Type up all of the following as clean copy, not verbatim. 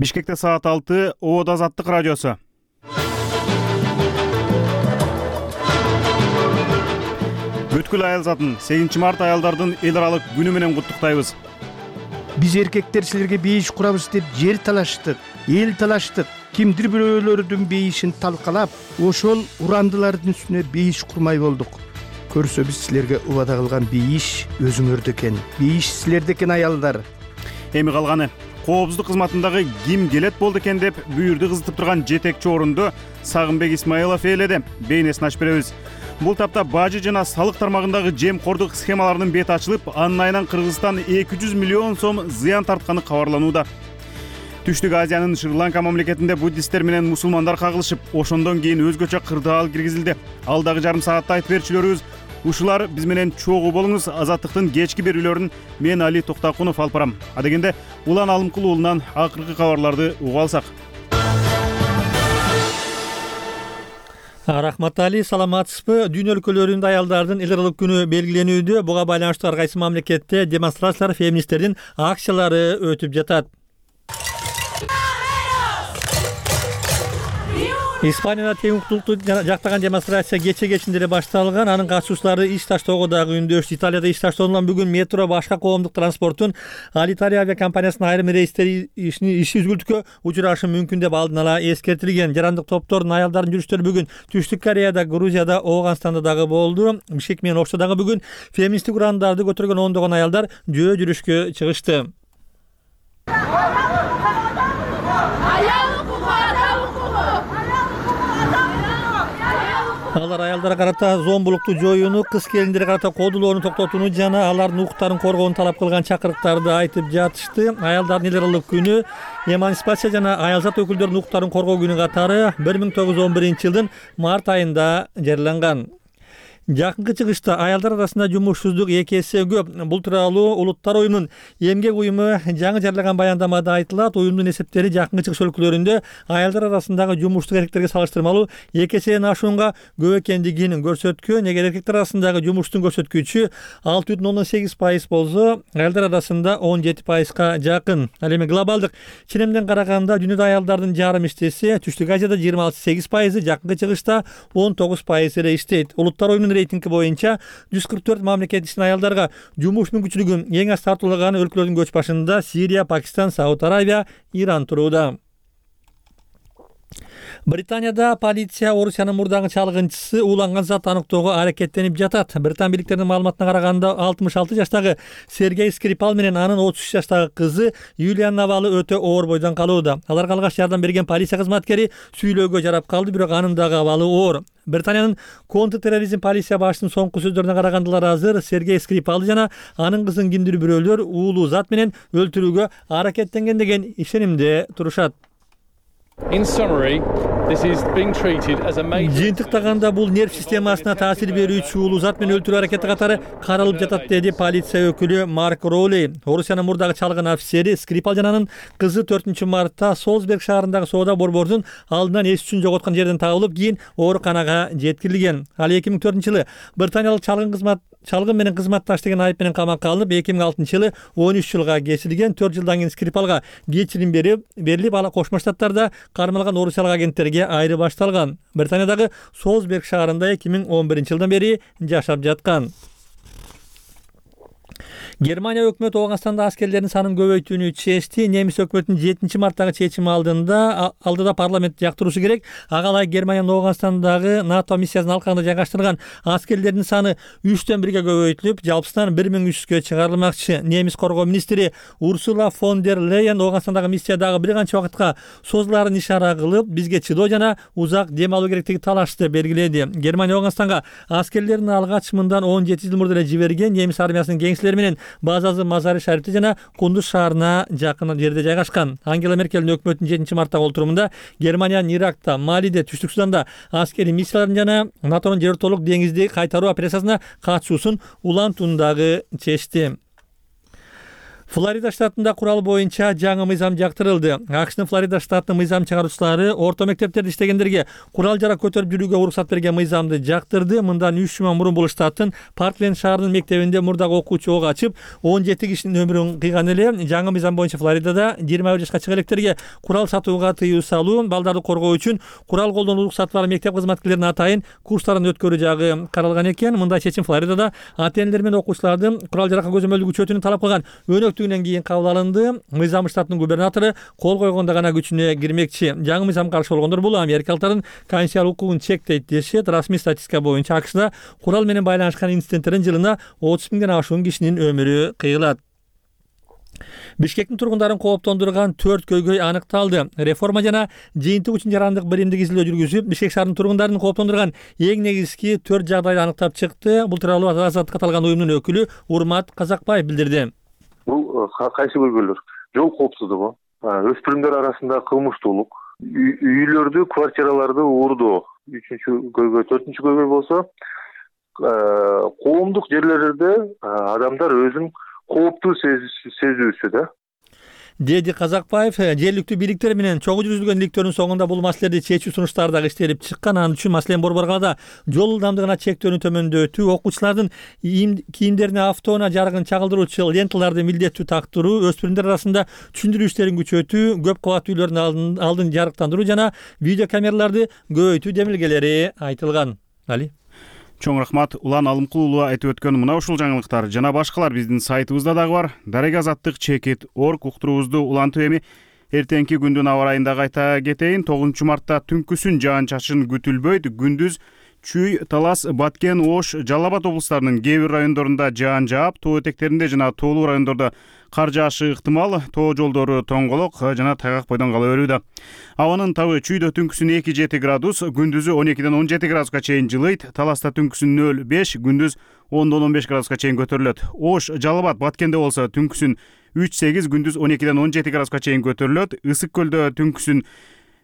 Бишкекте саат 6, Оот Азаттык радиосу. Бүткүл айыл затын 8 март аялдардын эл аралык күнү менен куттуктайбыз. Биз эркектер силерге бейиш курабыз деп жер талаштык, эл талаштык. Кимдир бирөөлөрдүн бейишин талкалап, ошол урандылардын үстүнө бейиш курмай болдук. Көрсө биз силерге убада кылган бейиш өзүңөрдө экен. Бейиш силерде экен аялдар. Эми калганы коопсуздук кызматындагы ким келет болду экен деп бүйүрдү кызытып турган жетекчи орунду Сагынбек Исмаилов ээледи. Бейнесин ачып беребиз. Бул тапта бажы жана салык тармагындагы жемкордук схемаларынын бети ачылып, анын айынан Кыргызстан 200 миллион сом зыян тартканы кабарланууда. Түштүк Азиянын Шри-Ланка мамлекетинде буддисттер менен мусулмандар кагылышып, ошондон кийин өзгөчө кырдаал киргизилди. Алдагы жарым саатта айтып берчүлөрүбүз ушулар биз менен чогуу болуңуз. Азаттыктын кечки берүүлөрүн мен Али Токтакунов алып барам. Адегенде Улан Алымкул уулунан акыркы кабарларды угуп алсак. Рахмат Али, саламатсызбы? Дүйнө өлкөлөрүндө аялдардын эл аралык күнү белгиленүүдө. Буга байланыштуу ар кайсы мамлекетте демонстрациялар, феминисттердин акциялары өтүп жатат. Испанияда тең укуктуулукту жактаган демонстрация кече-кечинде эле башталган. Анын катышуучулары иш таштоого дагы үндөштү. Италияда иш таштоондан бүгүн метро, башка коомдук транспорттун Алиталия авиакомпаниясынын айрым рейстери иши үзгүлтүккө учурашы мүмкүн деп алдын ала эскертилген. Жарандык топтордун аялдардын жүрүштөрү бүгүн Түштүк Кореяда, Грузияда, Ооганстанда дагы болду. Бишкек менен Ошто дагы бүгүн феминисттик урандарды көтөргөн ондогон аялдар жөө жүрүшкө чыгышты. Алар аялдарга карата зомбулукту жоюуну, кыз келиндерге карата кодулоону токтотууну жана алардын укуктарын коргоону талап кылган чакырыктарды айтып жатышты. Аялдардын эл аралык күнү эмансипация жана аялзат өкүлдөрүнүн укуктарын коргоо күнү катары 1911-жылдын март айында жарыяланган. Жакынкы чыгышта аялдар арасында жумушсуздук 2 эсе көп. Бул тууралуу Улуттар уюмунун эмгек уюму жаңы жарыяган баяндамада айтылат. Уюмдун эсептери жакынкы чыгыш өлкөлөрүндө аялдар арасындагы жумуштук эркектерге салыштырмалуу 2 эседен ашуунга көп экендигин көрсөткөн. Эгер эркектер арасындагы жумуштун көрсөткүчү 6,8% болсо, аялдар арасында 17%га жакын. Ал эми глобалдык ченемден караганда дүйнөдө аялдардын жарым иштесе, Түштүк Азияда 28%, жакынкы чыгышта 19% эле иштейт. Улуттар уюмунун рейтинги боюнча 144 мамлекет ичинде аялдарга жумуш мүмкүнчүлүгү эң аз тартуулаган өлкөлөрдүн көч башында Сирия, Пакистан, Сауд Арабия, Иран турууда. Британияда полиция Орусиянын мурдагы чалгынчысы ууланган зат аныктоого аракеттенип жатат. Британ бийликтеринин маалыматына караганда 66 жаштагы Сергей Скрипал менен анын 33 жаштагы кызы Юлианын абалы өтө оор бойдон калууда. Аларга алгач жардам берген полиция кызматкери сүйлөөгө жарап калды, бирок анын дагы абалы оор. Британиянын контртерроризм полиция башчысынын соңку сөздөрүнө караганда азыр Сергей Скрипалды жана анын кызын кимдир бирөөлөр уулуу зат менен өлтүрүүгө аракеттенген деген ишенимде турушат. Жыйынтыктаганда бул нерв системасына таасир берүүчү уулуу зат менен өлтүрүү аракети катары каралып жатат, деди полиция өкүлү Марк Роули. Орусиянын мурдагы чалгын офицери Скрипал жананын кызы 4-мартта Солсберг шаарындагы соода борборунун алдынан эс үчүн жоготкон жерден табылып, кийин ооруканага жеткирилген. Ал 2004-жылы британиялык чалгын менен кызматташ деген айып менен камакка алынып, 2006-жылы 13 жылга кесилген. 4 жылдан кийин Скрипалга кечирим берилип, ала Кошмо Штаттарда кармалган орусиялык агенттерге айры башталган. Британиядагы Солсберг шаарында 2011-жылдан бери жашап жаткан. Германия өкмөтү Ооганстанда аскерлердин санын көбөйтүүнү чечти. Немис өкмөтүнүн 7-марттагы чечими алдыда парламент жактыруусу керек. Ага ылайык Германиянын Ооганстандагы НАТО миссиясынын алкагында жайгаштырылган аскерлердин саны 3-1 көбөйтүлүп, жалпысынан 1300-гө чыгарылмакчы. Немис коргоо министри Урсула фон дер Лейен Ооганстандагы миссиядагы бир канча убакытка созулаарын ишара кылып, бизге чыдоо жана узак дем алуу керектиги талашты белгиледи. Германия Ооганстанга аскерлерин алгач мындан 17 жыл мурда эле жиберген. Немис армиясынын кеңселери менен базасы Мазари Шарифте жана Кундуз шаарына жакын жерде жайгашкан. Ангела Меркелдин өкмөтүнүн 7-марттагы олтурумунда Германиянын Иракта, Малиде, Түштүк Суданда аскерий миссияларын жана НАТОнун жер өлкөлүк деңизди кайтаруу операциясына катышуусун улантууну дагы чечти. Флорида штатында курал боюнча жаңы мыйзам жактырылды. АКШнын Флорида штатынын мыйзам чыгаруучулары орто мектептерде иштегендерге курал жарак көтөрүп жүрүүгө уруксат берген мыйзамды жактырды. Мындан 3 жума мурун бул штаттын Паркленд шаарынын мектебинде мурдагы окуучу ок ачып, 17 кишинин өмүрүн кыйган эле. Жаңы мыйзам боюнча Флоридада 21 жашка чыга электерге курал сатууга тыюу салуу, балдарды коргоо үчүн курал колдонуу уруксаты бар мектеп кызматкерлеринин атайын курстарын өткөрүү жагы каралган экен. Мындай чечим Флоридада ата-энелер менен окуучулардын курал жаракка көзөмөлдү күчөтүүнү талап кылган өнөктүгүнөн кийин кабыл алынды. Мыйзам штаттын губернатору кол койгондо гана күчүнө кирмекчи. Жаңы мыйзамга каршы болгондор бул америкалыктардын конституциялык укугун чектейт дешет. Расмий статистика боюнча АКШда курал менен байланышкан инциденттердин жылына 30 миңден ашуун кишинин өмүрү кыйылат. Бишкектин тургундарын кооптондурган 4 көйгөй аныкталды. Реформа жана жыйынтык үчүн жарандык биримдик изилдөө жүргүзүп, Бишкек шаарынын тургундарын кооптондурган эң негизги 4 жагдайды аныктап чыкты. Бул тууралуу Азаттыкка аталган уюмдун өкүлү Урмат Казакбаев билдирди. Бул кайсы көйгөйлөр? Жол коопсуздугу, өспүрүмдөр арасында кылмыштуулук, үйлөрдү, квартираларды уурдоо 3-чү көйгөй, 4-чү көйгөй болсо, коомдук жерлерде адамдар өзүн кооптуу сезүүсү да. Деди Казакбаев, жергиликтүү бийликтер менен чогуу жүргүзүлгөн иликтөөнүн соңунда бул маселелерди чечүү сунуштары дагы иштелип чыккан. Анын үчүн маселен Борбор калаада жол ылдамдыгына чектөөнү төмөндөтүү, окуучулардын кийимдерине автоунаа жарыгын чагылдыруучу ленталарды милдеттүү тактыруу, өспүрүмдөр арасында түшүндүрүү иштерин күчөтүү, көп кабаттуу үйлөрдүн алдын жарыктандыруу жана видео камераларды көбөйтүү демилгелери айтылган. Али Чоң рахмат. Улан Алымкулуу айтып өткөн мына ушул жаңылыктар жана башкалар биздин сайтыбызда дагы бар. Дарек-Азаттык.org уктуруубузду улантып эми эртеңки күндүн аба ырайында кайта кетейин. 9 мартта түнкүсүн жаан-чачын күтүлбөйт. Күндүз Чүй, Талас, Баткен, Ош, Жалал Абад облустарынын кээ бир райондорунда жаан жаап, тоо этектеринде жана тоолуу райондордо кар жаашы ыктымал. Тоо жолдору тоңголок жана тайгак бойдон кала берүүдө. Абанын табы Чүйдө түнкүсүн 2-7 градус, күндүзү 12-ден 17 градуска чейин жылыйт. Таласта түнкүсүн 0-5, күндүз 10-дон 15 градуска чейин көтөрүлөт. Ош, Жалал Абад, Баткенде болсо түнкүсүн 3-8, күндүз 12-ден 17 градуска чейин көтөрүлөт. Ысык көлдө түнкүсүн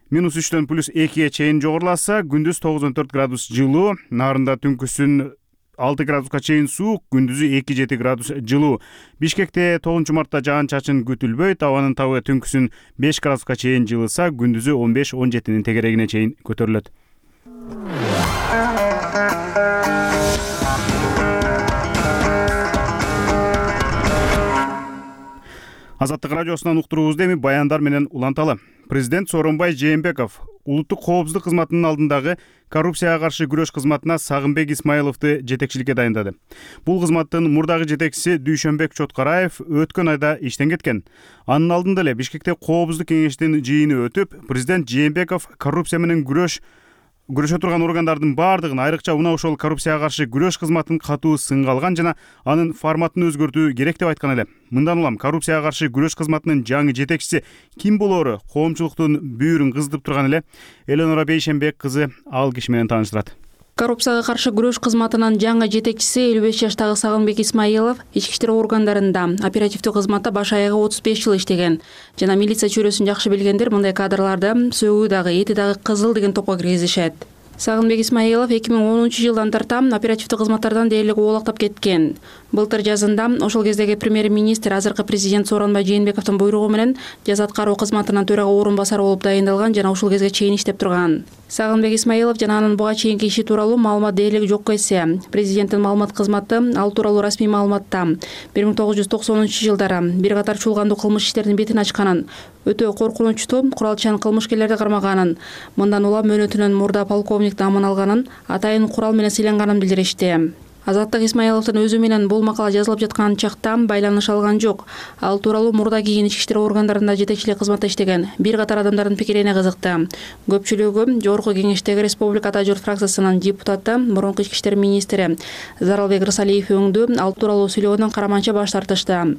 -3-төн +2-ге чейин жогоруласа, күндүз 9-14 градус жылуу. Нарында түнкүсүн 6 градуска чейин суук, күндүзү 2-7 градус жылуу. Бишкекте 9 мартта жаан-чачын күтүлбөйт. Абанын табы түнкүсүн 5 градуска чейин жылыса, күндүзү 15-17 тегерегине чейин көтөрүлөт. Азаттык радиосунан уктуруубузду эми баяндар менен уланталы. Президент Сооронбай Жээнбеков улуттук коопсуздук кызматынын алдындагы коррупцияга каршы күрөш кызматына Сагынбек Исмаиловду жетекчиликке дайындады. Бул кызматтын мурдагы жетекчиси Дүйшөнбек Чоткараев өткөн айда иштен кеткен. Анын алдында эле Бишкекте коопсуздук кеңештин жыйыны өтүп, президент Жээнбеков коррупция менен күрөшө турган органдардын баардыгын, айрыкча мына ошол коррупцияга каршы күрөш кызматын катуу сынга алган жана анын форматын өзгөртүү керек деп айткан эле. Мындан улам коррупцияга каршы күрөш кызматынын жаңы жетекчиси ким болоору коомчулуктун бүйүрүн кыздырып турган эле. Эленора Бейшенбек кызы ал киши менен тааныштырат. Коррупцияга каршы күрөш кызматынын жаңы жетекчиси 55 жаштагы Сагынбек Исмаилов ички иштер органдарында оперативдүү кызматта баш аягы 35 жыл иштеген жана милиция чөйрөсүн жакшы билгендер мындай кадрларды сөгүү дагы, эти дагы кызыл деген топко киргизишет. Сагынбек Исмаилов 2010-жылдан тарта оперативдүү кызматтардан дээрлик оолактап кеткен. Былтыр жазында ошол кездеги премьер-министр, азыркы президент Сооронбай Жээнбековдун буйругу менен жаза аткаруу кызматынын төрага орун басары болуп дайындалган жана ушул кезге чейин иштеп турган. Сагынбек Исмаилов жана анын буга чейинки иши тууралуу маалымат дээрлик жок эсе. Президенттин маалымат кызматы ал тууралуу расмий маалыматта 1990-жылдары бир катар чуулгандуу кылмыш иштеринин бетин ачканын, өтө коркунучтуу куралчан кылмышкерлерди кармаганын, мындан улам мөөнөтүнөн мурда полковник намын алганын, атайын курал менен сыйланганын билдиришти. Азаттык Исмаиловдун өзү менен бул макала жазылып жаткан чакта байланыш алган жок. Ал тууралуу мурда кийин ички иштер органдарында жетекчилик кызматта иштеген бир катар адамдардын пикирине кызыкты. Көпчүлүгү жогорку кеңештеги Республика Ата журт фракциясынын депутаты, мурунку ички иштер министри Заралбек Рысалиев өңдү ал тууралуу сүйлөгөндөн караманча баш тартышты.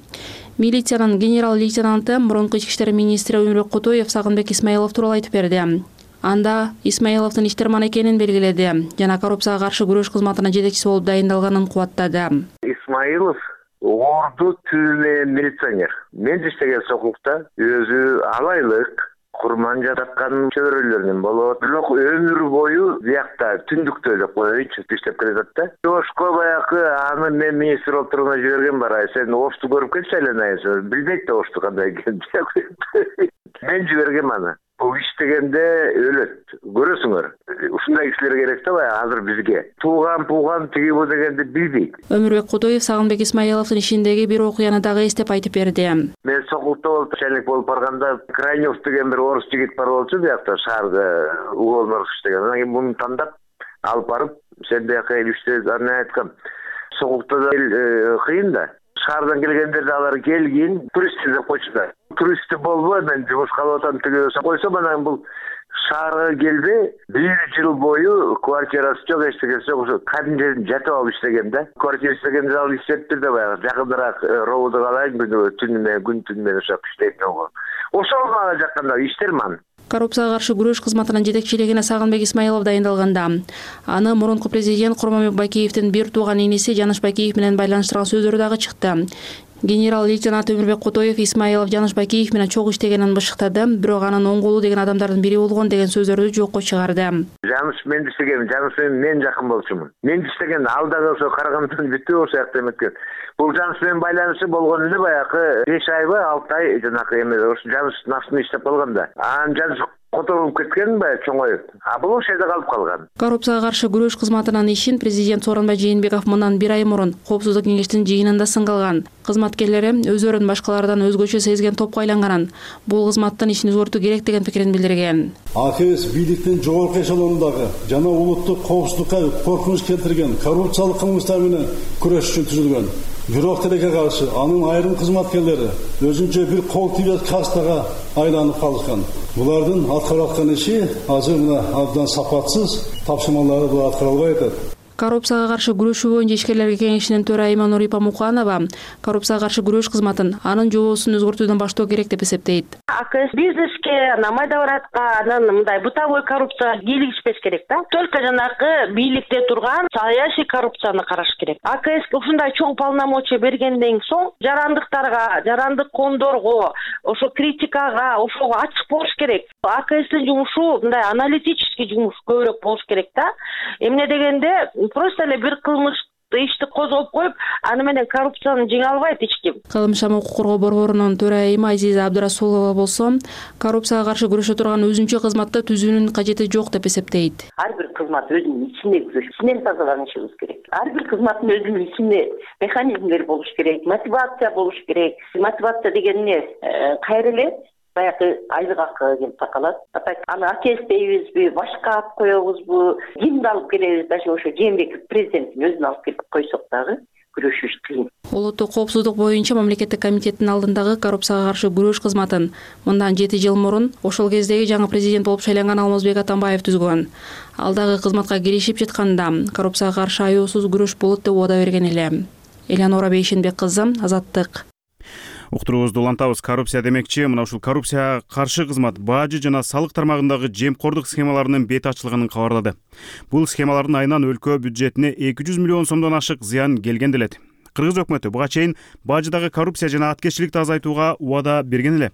Милициянын генерал-лейтенанты, мурунку ички иштер министри Өмүрбек Кутуев Сагынбек Исмаилов тууралуу айтып берди. Анда Исмаиловдун иштерман экенин белгиледи жана коррупцияга каршы күрөш кызматынын жетекчиси болуп дайындалганын кубаттады. Исмаилов орду түзүлгөн милиционер. Мен иштеген сокулукта өзү алайлык, курман жататкан чөбөрөлөрүнөн болот. Бирок өмүр бою биякта түндүктө деп коеюнчу иштеп келатат да. Ошко баягы аны мен министр болуп турганда жиберген бар. Сен ошту көрүп келчи айланайсың. Билбейт да ошту кандай экенин. Мен жибергем аны. Бул иштегенде өлөт. Көрөсүңөр. Ушундай кишилер керек да баягы азыр бизге. Тууган тиги бу дегенди билбейт. Өмүрбек Кудоев Сагынбек Исмаиловдун ишиндеги бир окуяны дагы эстеп айтып берди. Мен Сокулукта болуп начальник болуп барганда Крайнев деген бир орус жигит бар болчу биякта шаарда уголнор иштеген. Анан кийин муну тандап алып барып сен бияка иште аны айткам. Сокулукта да кыйын да. Шаардан келгендерде алар келгин турист деп койчудар. Туристти болбой мен жумушка алып атам тиги койсом анан бул шаарга келбей 1 жыл бою квартирасы жок, эчтекеси жок, ошо кадим жерин жатып алып иштеген да. Квартира иштегенде ал иштептир да баягы жакыныраак ровду калайын күн түнү менен ошо иштейт болгон. Ошол мага жакканда иштерман. Коррупцияга каршы күрөш кызматынын жетекчилигине Сагынбек Исмаилов дайындалганда аны мурунку президент Курманбек Байкеевдин бир тууган иниси Жаныш Байкеев менен байланыштырган сөздөрү дагы чыкты. Генерал-лейтенант Өмүрбек Кудоев Исмаилов Жаныш Байкеев менен чогуу иштегенин бышыктады, бирок анын оң колу деген адамдардын бири болгон деген сөздөрдү жокко чыгарды. Жаныш мен иштегем, Жаныш мен жакын болчумун. Мен иштеген ал дагы ошо Карагандан бүтүп ошо жакта эметкен. Бул Жаныш менен байланышы болгон эле баягы 5 айбы 6 ай жанакы эме ошо Жаныш нафтын иштеп калганда. Анан Жаныш которуп кеткен баягы чоңоюп. Бул ошол жерде калып калган. Коррупцияга каршы күрөш кызматынын ишин президент Сооронбай Жээнбеков мындан 1 ай мурун Коопсуздук кеңештин жыйынында сынга алган. Кызматкерлери өзөрүн башкалардан өзгөчө сезген топко айланганын, бул кызматтын ишин өзгөртүү керек деген пикирин билдирген. АКС бийликтин жогорку эшелонундагы жана улуттук коопсуздукка коркунуч келтирген коррупциялык кылмыштар менен күрөш үчүн түзүлгөн. Бирок тилекке каршы анын айрым кызматкерлери өзүнчө бир кол тийбес кастага айланып калышкан. Булардын аткарып аткан иши азыр мына абдан сапатсыз, тапшырмалары бул аткарылбай атат. Коррупцияга каршы күрөшүү боюнча ишкерлер кеңешинин төрайымы Нурипа Муканова коррупцияга каршы күрөш кызматын анын жобосун өзгөртүүдөн баштоо керек деп эсептейт. АКС бизнеске, майда баратка анан мындай бытовой коррупцияга кийлигишпеш керек да. Только жанакы бийликте турган саясий коррупцияны караш керек. АКС ушундай чоң полномочия бергенден соң жарандыктарга, жарандык коомдорго, ошо критикага, ошого ачык болуш керек. АКСтин жумушу мындай аналитический жумуш көбүрөөк болуш керек да. Эмне дегенде просто эле бир кылмыш ишти козгоп коюп, аны менен коррупцияны жеңе албайт эч ким. Калымшам укук коргоо борборунун төрайымы Азиза Абдурасулова болсо, коррупцияга каршы күрөшө турган өзүнчө кызматты түзүүнүн кажети жок деп эсептейт. Ар бир кызмат өзүнүн ичинде күрөш, ичинен тазаланышыбыз керек. Ар бир кызматтын өзүнүн ичинде механизмдер болуш керек, мотивация болуш керек. Мотивация деген эмне? Кайра эле баягы айлык акы келип такалат. Аны АКС дейбизби, башка алып коебузбу, кимди алып келебиз, даже ошо Жээнбеков президенттин өзүн алып келип койсок дагы күрөшүш кыйын. Улуттук коопсуздук боюнча мамлекеттик комитеттин алдындагы коррупцияга каршы күрөш кызматын мындан 7 жыл мурун ошол кездеги жаңы президент болуп шайланган Алмазбек Атамбаев түзгөн. Ал дагы кызматка киришип жатканда коррупцияга каршы аюусуз күрөш болот деп убада берген эле. Элеонора Бейшенбек кызы, Азаттык. Уктуруубузду улантабыз. Коррупция демекчи, мына ушул коррупцияга каршы кызмат бажы жана салык тармагындагы жемкордук схемаларынын бети ачылганын кабарлады. Бул схемалардын айынан өлкө бюджетине 200 миллион сомдон ашык зыян келген делет. Кыргыз өкмөтү буга чейин бажыдагы коррупция жана аткезчиликти азайтууга убада берген эле.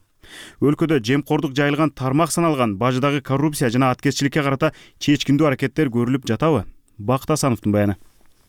Өлкөдө жемкордук жайылган тармак саналган бажыдагы коррупция жана аткезчиликке карата чечкиндүү аракеттер көрүлүп жатабы? Бакыт Асановдун баяны.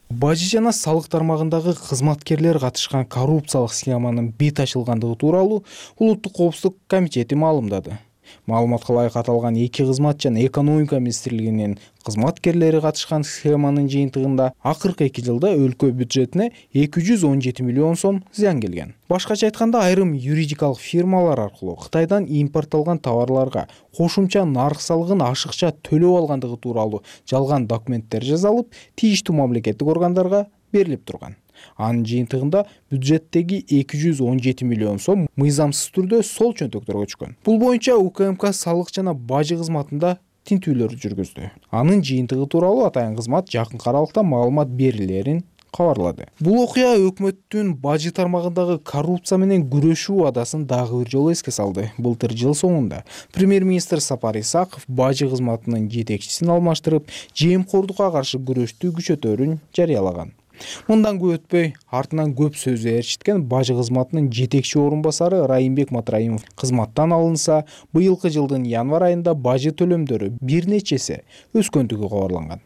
Бажы жана салык тармагындагы кызматкерлер катышкан коррупциялык схеманын бет ачылгандыгы тууралуу Улуттук коопсуздук комитети маалымдады. Маалыматка ылайык аталган 2 кызмат жана экономика министрлигинин кызматкерлери катышкан схеманын жыйынтыгында акыркы 2 жылда өлкө бюджетине 217 миллион сом зыян келген. Башкача айтканда, айрым юридикалык фирмалар аркылуу Кытайдан импортталган товарларга кошумча нарык салыгын ашыкча төлөп алгандыгы тууралуу жалган документтер жазылып, тийиштүү мамлекеттик органдарга берилип турган. Анын жыйынтыгында бюджеттеги 217 миллион сом мыйзамсыз түрдө сол чөнтөктөргө түшкөн. Бул боюнча УКМК салык жана бажы кызматында тинтүүлөр жүргүздү. Анын жыйынтыгы тууралуу атайын кызмат жакынкы аралыкта маалымат берилерин кабарлады. Бул окуя өкмөттүн бажы тармагындагы коррупция менен күрөшүү убадасын дагы бир жолу эске салды. Былтыр жыл соңунда премьер-министр Сапар Исаков бажы кызматынын жетекчисин алмаштырып, жемкордукка каршы күрөштү күчөтөөрүн жарыялаган. Мындан көп өтпөй артынан көп сөз ээрчиткен бажы кызматынын жетекчи орун басары Райымбек Матраимов кызматтан алынса, быйылкы жылдын январь айында бажы төлөмдөрү бир нече эсе өскөндүгү кабарланган.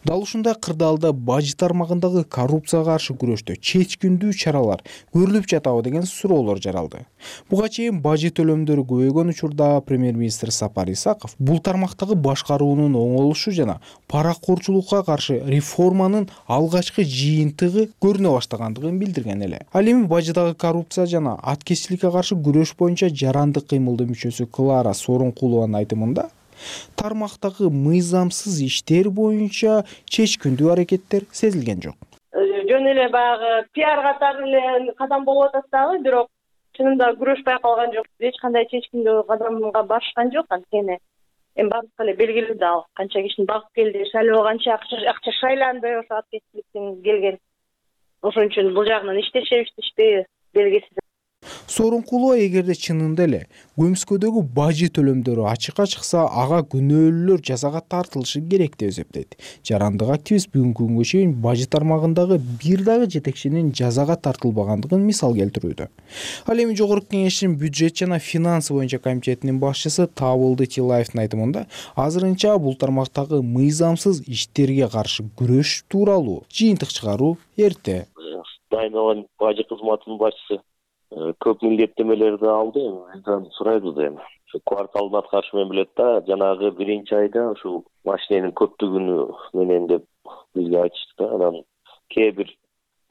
Дал ушундай кырдаалда бажы тармагындагы коррупцияга каршы күрөштө чечкиндүү чаралар көрүлүп жатабы деген суроолор жаралды. Буга чейин бажы төлөмдөрү көбөйгөн учурда премьер-министр Сапар Исаков бул тармактагы башкаруунун оңолушу жана паракорчулукка каршы реформанын алгачкы жыйынтыгы көрүнө баштагандыгын билдирген эле. Ал эми бажыдагы коррупция жана аткезчиликке каршы күрөш боюнча жарандык кыймылдын мүчөсү Клара Сооронкулованын айтымында тармактагы мыйзамсыз иштер боюнча чечкиндүү аракеттер сезилген жок. Жөн эле баягы пиар катары эле кадам болуп атат дагы, бирок чынында күрөш байкалган жок. Эч кандай чечкиндүү кадамга барышкан жок. Анткени эми бардыгы эле белгилүү да, канча кишини багып келди, шайлоо канча акча шайланды, ошо аткезчиликтен келген. Ошон үчүн бул жагынан иштешеби белгисиз. Сооронкулова эгерде чынында эле көмүскөдөгү бажы төлөмдөрү ачыкка чыкса, ага күнөөлүүлөр жазага тартылышы керек деп эсептейт. Жарандык активист бүгүнкү күнгө чейин бажы тармагындагы бир дагы жетекчинин жазага тартылбагандыгын мисал келтирүүдө. Ал эми Жогорку Кеңештин бюджет жана финансы боюнча комитетинин башчысы Табылды Тилаевдин айтымында, азырынча бул тармактагы мыйзамсыз иштерге каршы күрөш тууралуу жыйынтык чыгаруу эрте. Дайынован бажы кызматынын башчысы көп милдеттемелерди алды, мындан сурайбыз эми. Ошо кварталдын аткарышы менен билет да, жанагы биринчи айда ушул машиненин көптүгүнү менен деп бизге айтышты да. Анан кээ бир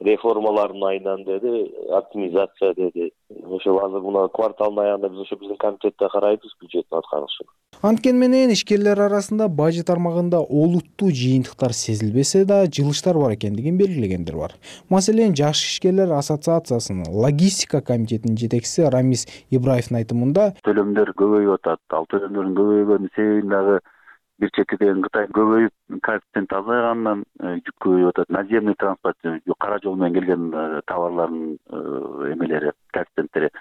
реформалардын айынан деди, оптимизация деди. Ошо азыр мына кварталдын аягында биз ошо биздин комитетте карайбыз бюджеттин аткарылышын. Анткени менен ишкерлер арасында бажы тармагында олуттуу жыйынтыктар сезилбесе да, жылыштар бар экендигин белгилегендер бар. Маселен, Жаш ишкерлер ассоциациясынын логистика комитетинин жетекчиси Рамис Ибраевдин айтымында, төлөмдөр көбөйүп атат. Ал төлөмдөрдүн көбөйгөнүнүн себебин дагы бир четиден Кытай көбөйүп, коэффициент азайгандан жүк көбөйүп атат. Наземный транспорт, кара жол менен келген товарлардын эмелери, коэффициенттери.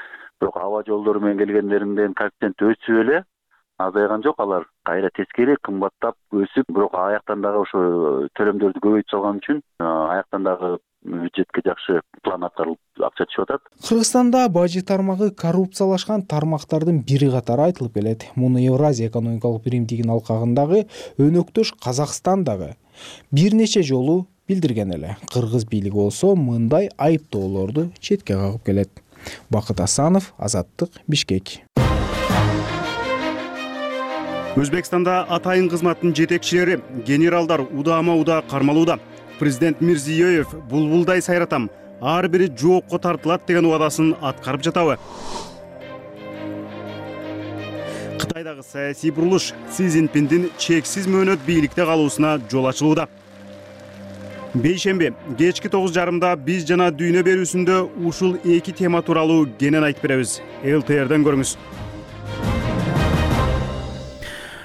Бирок аба жолдору менен келгендеринин коэффициенти өсүп эле азайган жок, алар кайра тескери кымбаттап өсүп, бирок аяктан дагы ошо төлөмдөрдү көбөйтүп салган үчүн аяктан дагы бюджетке жакшы план аткарылып акча түшүп атат. Кыргызстанда бажы тармагы коррупциялашкан тармактардын бири катары айтылып келет. Муну Евразия экономикалык биримдигинин алкагындагы өнөктөш Казакстан дагы бир нече жолу билдирген эле. Кыргыз бийлиги болсо мындай айыптоолорду четке кагып келет. Бакыт Асанов, Азаттык, Бишкек. Өзбекстанда атайын кызматтын жетекчилери, генералдар удаама-удаа кармалууда. Президент Мирзиёев булбулдай сайратам, ар бири жоопко тартылат деген убадасын аткарып жатабы? Кытайдагы саясий бурулуш Си Цзиньпиндин чексиз мөөнөт бийликте калуусуна жол ачылууда. Бейшемби кечки 9:30 биз жана дүйнө берүүсүндө ушул эки тема тууралуу кенен айтып беребиз. ЛТРден көрүңүз.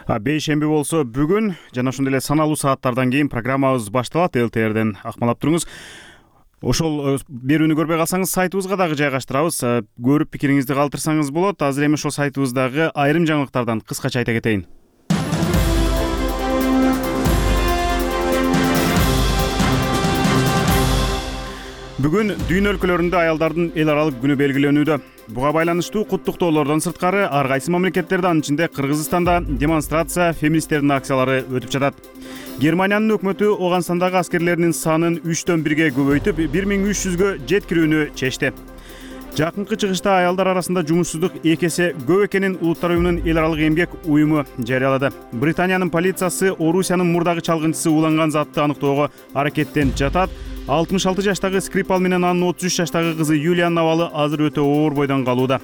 Бейшемби болсо бүгүн жана ошондой эле саналуу сааттардан кийин программабыз башталат. ЛТРден акмалап туруңуз. Ошол берүүнү көрбөй калсаңыз, сайтыбызга дагы жайгаштырабыз. Көрүп пикириңизди калтырсаңыз болот. Азыр эми ошол сайтыбыздагы айрым жаңылыктардан кыскача айта кетейин. Бүгүн дүйнө өлкөлөрүндө аялдардын эл аралык күнү белгиленүүдө. Буга байланыштуу куттуктоолордон сырткары ар кайсы мамлекеттерде, анын ичинде Кыргызстанда демонстрация, феминисттердин акциялары өтүп жатат. Германиянын өкмөтү Ооганстандагы аскерлеринин санын 3-төн 1-ге көбөйтүп, 1300гө жеткирүүнү чечти. Жакынкы чыгышта аялдар арасында жумушсуздук 2 эсе көп экенин Улуттар уюмунун эл аралык эмгек уюму жарыялады. Британиянын полициясы Орусиянын мурдагы чалгынчысы уланган затты аныктоого аракеттенип жатат. 66 жаштагы Скрипал менен анын 33 жаштагы кызы Юлиянын абалы азыр өтө оор бойдон калууда.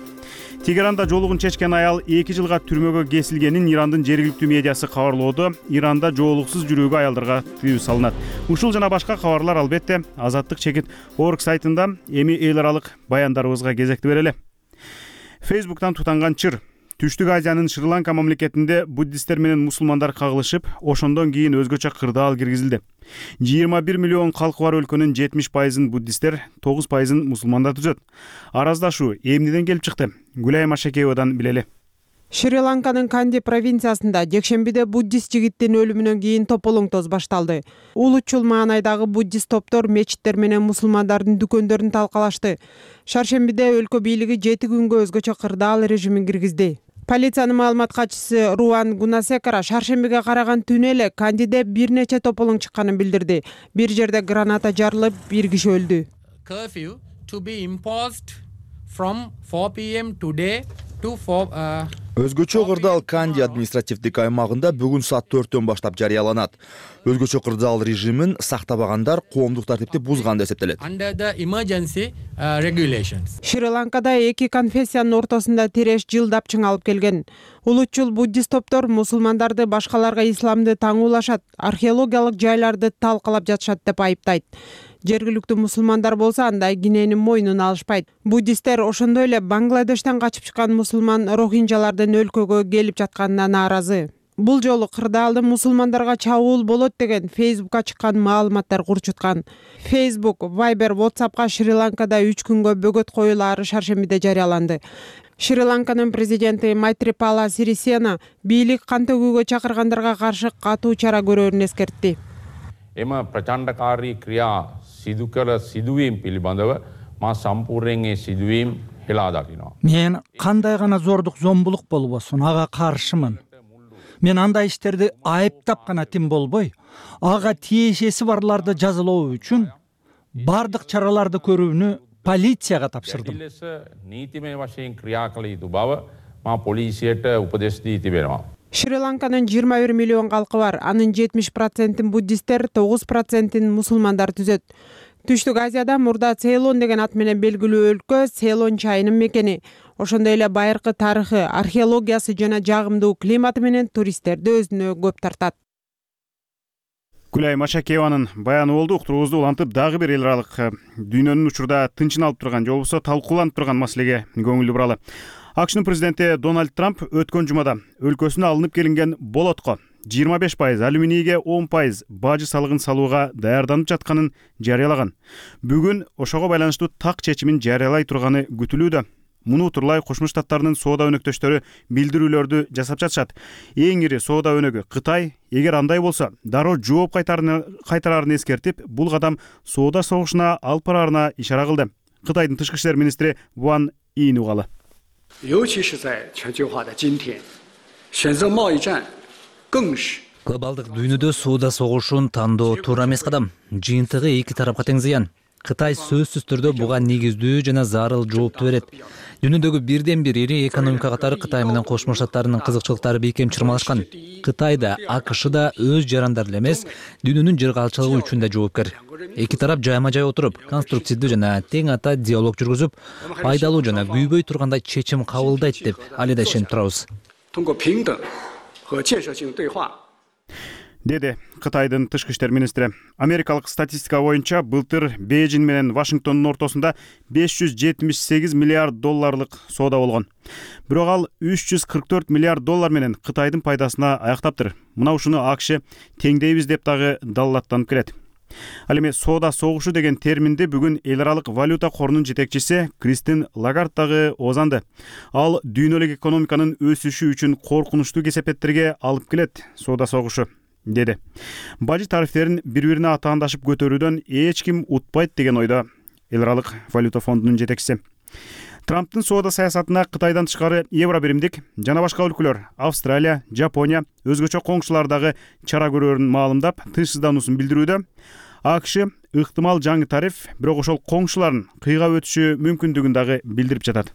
Тегеранда жоолугун чечкен аял 2 жылга түрмөгө кесилгенин Ирандын жергиликтүү медиасы кабарлоодо. Иранда жоолуксуз жүрүүгө аялдарга тыюу салынат. Ушул жана башка кабарлар албетте Азаттык чекит орг сайтында. Эми эл аралык баяндарыбызга кезекти берели. Фейсбуктан тутанган чыр. Түштүк Азиянын Шри-Ланка мамлекетинде буддисттер менен мусулмандар кагылышып, ошондон кийин өзгөчө кырдаал киргизилди. 21 миллион калкы бар өлкөнүн 70%-ын буддисттер, 9%-ын мусулмандар түзөт. Араздашуу эмнеден келип чыкты? Гүлайым Ашакеевадан билели. Шри-Ланканын Канди провинциясында жекшембиде буддист жигиттин өлүмүнөн кийин тополоңтоз башталды. Улутчул маанайдагы буддист топтор мечиттер менен мусулмандардын дүкөндөрүн талкалашты. Шаршембиде өлкө бийлиги 7 күнгө өзгөчө кырдаал режимин киргизди. Полициянын маалымат катчысы Руан Гунасекара шаршембиге караган түнү эле Кандиде бир нече тополоң чыкканын билдирди. Бир жерде граната жарылып, бир киши өлдү. Curfew to be imposed from 4 p.m. today to 4 Өзгөчө кырдаал Канди административдик аймагында бүгүн саат 4-төн баштап жарыяланат. Өзгөчө кырдаал режимин сактабагандар коомдук тартипти бузган деп эсептелет. Under the emergency regulations. Шри-Ланкада эки конфессиянын ортосунда тереш жылдап чыңалып келген. Улутчул буддист топтор мусулмандарды башкаларга исламды таңуулашат, археологиялык жайларды талкалап жатышат деп айыптайт. Жергиликтүү мусулмандар болсо андай киненин мойнуна алышпайт. Буддисттер ошондой эле Бангладештен качып чыккан мусулман рохинжалардын өлкөгө келип жатканына нааразы. Бул жолу кырдаалдын мусулмандарга чабуул болот деген Facebook'ка чыккан маалыматтар курчуткан. Facebook, Viber, WhatsApp'ка Шри-Ланкада 3 күнгө бөгөт коюлаары шаршембиде жарыяланды. Шри-Ланканын президенти Майтрипала Сирисена бийлик кан төгүүгө чакыргандарга каршы катуу чара көрөөрүн эскертти. Ema prachandakari kriya sidu kala siduwim pilibandava ma sampurren e siduwim hela dakino. Мен кандай гана зордук зомбулук болбосун ага каршымын. Мен андай иштерди айыптап гана тим болбой, ага тиешеси барларды жазалоо үчүн бардык чараларды көрүүнү полицияга тапшырдым. Нитиме вашен kriya kalitu bava ma polisiyete upades diti berma. Шри-Ланканын 21 миллион калкы бар. Анын 70%-ин буддисттер, 9%-ин мусулмандар түзөт. Түштүк Азияда мурда Цейлон деген ат менен белгилүү өлкө Цейлон чайынын мекени. Ошондой эле байыркы тарыхы, археологиясы жана жагымдуу климаты менен туристтерди өзүнө көп тартат. Гүлай Машакееванын баяны болду. Уктуруубузду улантып, дагы бир эл аралык дүйнөнүн учурда тынчын алып турган, же болбосо талкууланып турган маселеге көңүл буралы. AQShnын президенти Дональд Трамп өткөн жумада өлкөсүнө алынып келинген болотко 25%, алюминийге 10% бажы салыгын салууга даярданып жатканын жарыялаган. Бүгүн ошого байланыштуу так чечимин жарыялай турганы күтүлүүдө. Муну утурлай Кошмо Штаттарынын соода өнөктөштөрү билдирүүлөрдү жасап жатышат. Эң ири соода өнөгү Кытай, эгер андай болсо, дароо жооп кайтарарын эскертип, бул кадам соода согушуна алып бараарына ишара кылды. Кытайдын тышкы иштер министри Ван Ин угалы. 尤其是在全球化的今天，选择贸易战更是 Глобалдык дүйнөдө соода согушун тандоо туура эмес кадам. Жыйынтыгы эки тарапка тең зыян. Кытай сөзсүз түрдө буга негиздүү жана зарыл жоопту берет. Дүйнөдөгү бирден бир ири экономика катары Кытай менен Кошмо Штаттарынын кызыкчылыктары бекем чырмалашкан. Кытай да, АКШ да өз жарандары эле эмес, дүйнөнүн жыргалчылыгы үчүн да жоопкер. Эки тарап жайма-жай отуруп, конструктивдүү жана тең ата диалог жүргүзүп, пайдалуу жана күйбөй тургандай чечим кабылдайт деп али да ишенип турабыз. Деди Кытайдын тышкы иштер министри. Америкалык статистика боюнча былтыр Бейжин менен Вашингтондун ортосунда 578 миллиард долларлык соода болгон. Бирок ал 344 миллиард доллар менен Кытайдын пайдасына аяктаптыр. Мына ушуну AQSh теңдейбиз деп дагы далилаттанып келет. Ал эми соода согушу деген терминди бүгүн эл аралык валюта корунун жетекчиси Кристин Лагард дагы оозанды. Ал дүйнөлүк экономиканын өсүшү үчүн коркунучтуу кесепеттерге алып келет соода согушу, деди. Бажы тарифтерин бири-бирине атаандашып көтөрүүдөн эч ким утпайт деген ойдо эл аралык валюта фондунун жетекчиси. Трамптын соода саясатына Кытайдан тышкары евро биримдик жана башка өлкөлөр Австралия, Жапония, өзгөчө коңшулар дагы чара көрөөрүн маалымдап, тынчсыздануусун билдирүүдө. AQSh ыктымал жаңы тариф, бирок ошол коңшулардын кыйга өтүшү мүмкүндүгүн дагы билдирип жатат.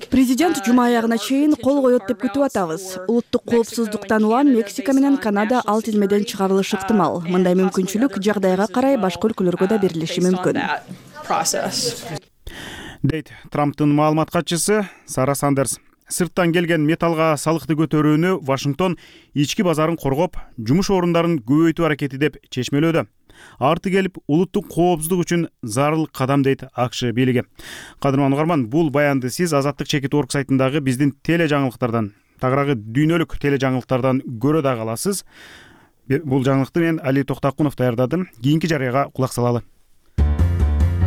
Президент жума аягына чейин кол коет деп күтүп атабыз. Улуттук коопсуздуктан улам Мексика менен Канада ал тизмеден чыгарылышы ыктымал. Мындай мүмкүнчүлүк жагдайга карай башка өлкөлөргө да берилиши мүмкүн. Дейт Трамптын маалымат катчысы Сара Сандерс. Сырттан келген металлга салыкты көтөрүүнү Вашингтон ички базарын коргоп, жумуш орундарын көбөйтүү аракети деп чечмелөөдө. Арты келип, улуттук коопсуздук үчүн зарыл кадам дейт AQSh бийлиги. Кадырман угарман, бул баянды сиз Азаттык чекит орг сайтындагы биздин теле жаңылыктардан, тагыраагы дүйнөлүк теле жаңылыктардан көрө дагы аласыз. Бул жаңылыкты мен Али Токтакунов даярдадым. Кийинки жарыяга кулак салалы.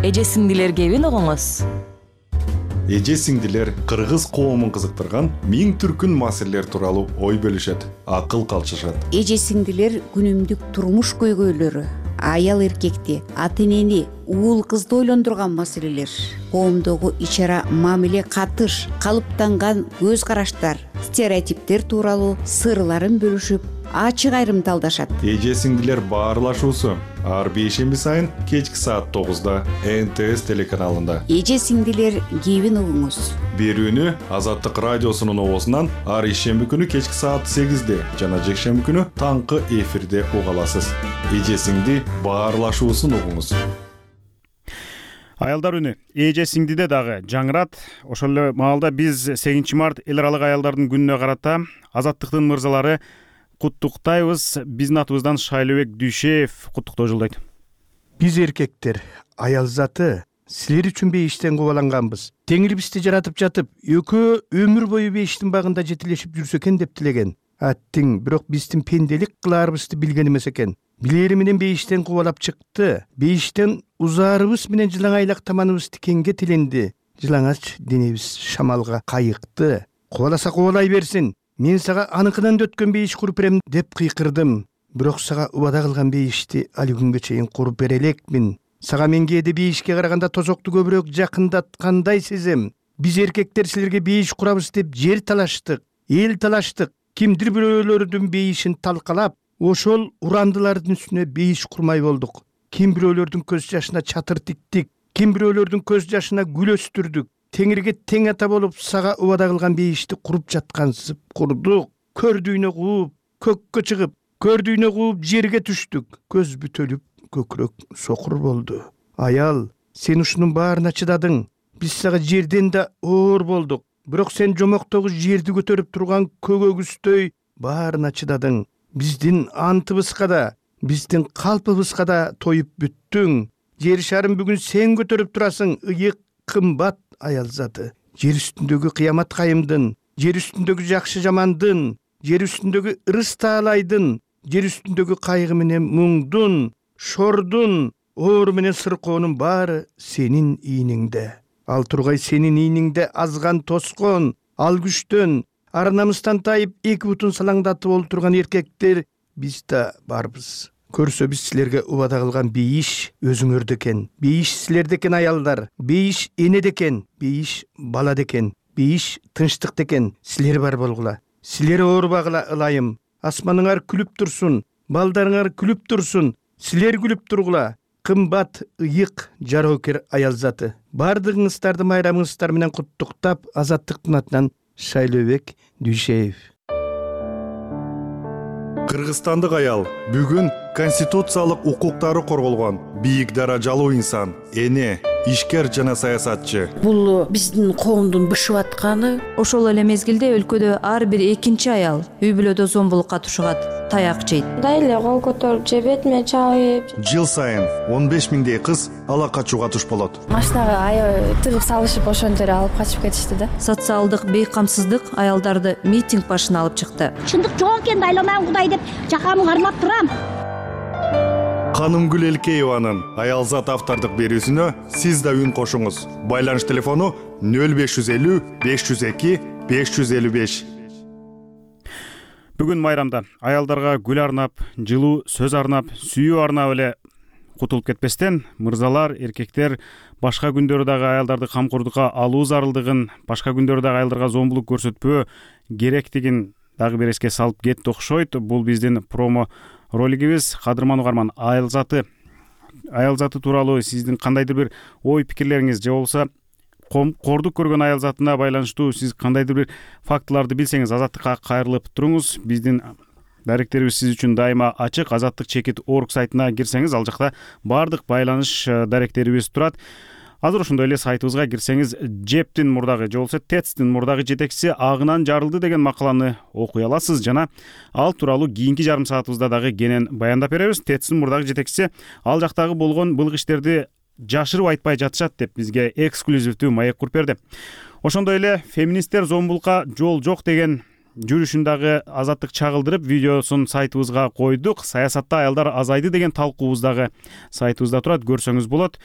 Эже сиңдилер кебин огоңуз. эже сиңдилер кыргыз коомун кызыктырган миң түркүн маселелер тууралуу ой бөлүшөт, акыл калчышат. Эже сиңдилер күнүмдүк турмуш көйгөйлөрү, аял эркекти, ата энени, уул кызды ойлондурган маселелер, коомдогу ич ара мамиле, катыш, калыптанган көз караштар, стереотиптер тууралуу сырларын бөлүшүп, ачык айрымдалдашат. Эже сиңдилер баарлашуусу ар бейшемби сайын кечки саат 9-да НТС телеканалында. Эже сиңдилер кебин угуңуз. Берүүнү Азаттык радиосунун оозунан ар ишемби күнү кечки саат 8-де жана жекшемби күнү таңкы эфирде уга аласыз. Эже сиңди баарлашуусун угуңуз. Аялдар үнү эже сиңдиде дагы жаңырат. Ошол эле маалда биз 8 март эл аралык аялдардын күнүнө карата Азаттыктын мырзалары куттуктайбыз. Биздин атыбыздан Шайлообек Дүйшеев куттуктоо жолдойт. Биз эркектер аял заты силер үчүн бейиштен кубаланганбыз. Теңир бизди жаратып жатып, экөө өмүр бою бейиштин багында жетилешип жүрсө экен деп тилеген. Аттиң, бирок биздин пенделик кылаарыбызды билген эмес экен. Билери менен бейиштен кубалап чыкты. Бейиштен узаарыбыз менен жылаңайлак таманыбыз тикенге тиленди. Жылаңач денебиз шамалга кайыкты. Кубаласа кубалай берсин. Мен сага аныкынан өткөн бейиш куруп берем деп кыйкырдым. Бирок сага убада кылган бейишти али күнгө чейин куруп бере элекмин. Сага мен кээде бейишке караганда тозокту көбүрөөк жакындаткандай сезем. Биз эркектер силерге бейиш курабыз деп жер талаштык, эл талаштык. Кимдир бирөөлөрдүн бейишин талкалап, ошол урандылардын үстүнө бейиш курмай болдук. Ким бирөөлөрдүн көз жашына чатыр тиктик, ким бирөөлөрдүн көз жашына гүл өстүрдүк. Теңирге тең ата болуп сага убада кылган бейишти куруп жаткансып курдук. Көрдүйнө кууп, көккө чыгып, көрдүйнө кууп жерге түштүк. Көз бүтөлүп, көкүрөк сокур болду. Аял, сен ушунун баарына чыдадың. Биз сага жерден да оор болдук. Бирок сен жомоктогу жерди көтөрүп турган көгөгүздөй баарына чыдадың. Биздин антыбызга да, биздин калпыбызга да тоюп бүттүң. Жер шарын бүгүн сен көтөрүп турасың, ыйык, кымбат аял заты. Жер үстүндөгү кыямат кайымдын, жер үстүндөгү жакшы жамандын, жер үстүндөгү ырыс таалайдын, жер үстүндөгү кайгы менен муңдун, шордун, оор менен сыркоонун баары сенин ийниңде. Ал тургай сенин ийниңде азган тоскон, ал күчтөн, ар намыстан тайып эки бутун салаңдатып олтурган эркектер биз да барбыз. Көрсө биз силерге убада кылган бейиш өзүңөрдө экен. Бейиш силерде экен аялдар. Бейиш энеде экен. Бейиш балада экен. Бейиш тынчтыкта экен. Силер бар болгула. Силер оорубагыла ылайым. Асманыңар күлүп турсун. Балдарыңар күлүп турсун. Силер күлүп тургула. Кымбат, ыйык, жароокер аял заты. Бардыгыңыздарды майрамыңыздар менен куттуктап, Азаттыктын атынан Шайлообек Дүйшеев. Кыргызстандык аял бүгүн конституциялык укуктары корголгон бийик даражалуу инсан, эне, ишкер жана саясатчы. Бул биздин коомдун бышып атканы. Ошол эле мезгилде өлкөдө ар бир экинчи аял үй бүлөдө зомбулукка тушугат, таяк жейт. Мындай эле кол көтөрүп же бетиме чабып. Жыл сайын 15 миңдей кыз ала качууга туш болот. Машинага аябай тыгып салышып ошентип алып качып кетишти да. Социалдык бейкамсыздык аялдарды митинг башына алып чыкты. Чындык жок экенин айланам Кудай деп жакамы кармап турам. Канымгүл Элкееванын аялзат автордук берүүсүнө сиз да үн кошуңуз. Байланыш телефону 0550 502 555. Бүгүн майрамда аялдарга гүл арнап, жылуу сөз арнап, сүйүү арнап эле кутулуп кетпестен, мырзалар, эркектер башка күндөрү дагы аялдарды камкордукка алуу зарылдыгын, башка күндөрү дагы аялдарга зомбулук көрсөтпөө керектигин дагы бир эске салып кетти окшойт. Бул биздин промо ролигибиз. Кадырман угарман, аял заты тууралуу сиздин кандайдыр бир ой пикирлериңиз же болбосо кордук көргөн аял затына байланыштуу сиз кандайдыр бир фактыларды билсеңиз, Азаттыкка кайрылып туруңуз. Биздин даректерибиз сиз үчүн дайыма ачык. Azattik.org сайтына кирсеңиз, ал жакта баардык байланыш даректерибиз турат. Азыр ошондой эле сайтыбызга кирсеңиз, Жептин мурдагы же болбосо ТЭЦтин мурдагы жетекчиси агынан жарылды деген макаланы окуй аласыз жана ал тууралуу кийинки жарым саатыбызда дагы кенен баяндап беребиз. ТЭЦтин мурдагы жетекчиси ал жактагы болгон былык иштерди жашырып айтпай жатышат деп бизге эксклюзивдүү маек куруп берди. Ошондой эле феминисттер зомбулукка жол жок деген жүрүшүн дагы Азаттык чагылдырып видеосун сайтыбызга койдук. Саясатта аялдар азайды деген талкуубуз дагы сайтыбызда турат, көрсөңүз болот.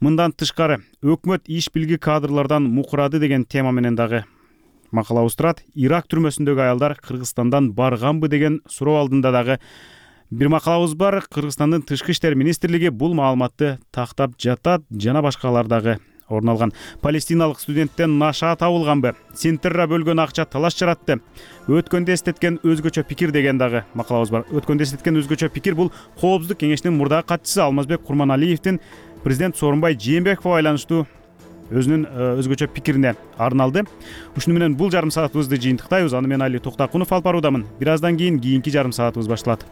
Мындан тышкары өкмөт иш билги кадрлардан мукурады деген тема менен дагы макалабыз турат. Ирак түрмөсүндөгү аялдар Кыргызстандан барганбы деген суроо алдында дагы бир макалабыз бар. Кыргызстандын тышкы иштер министрлиги бул маалыматты тактап жатат, жана башкалар дагы орун алган. Палестиналык студенттен наша табылганбы? Синтерра бөлгөн акча талаш жаратты. Өткөндө эстеткен өзгөчө пикир деген дагы макалабыз бар. Өткөндө эстеткен өзгөчө пикир бул Коопсуздук кеңешинин мурдагы катчысы Алмазбек Курманалиевдин президент Сооронбай Жээнбековго байланыштуу өзүнүн өзгөчө пикирине арналды. Ушуну менен бул жарым саатыбызды жыйынтыктайбыз. Аны мен Али Токтакунов алып баруудамын. Бир аздан кийин кийинки жарым саатыбыз башталат.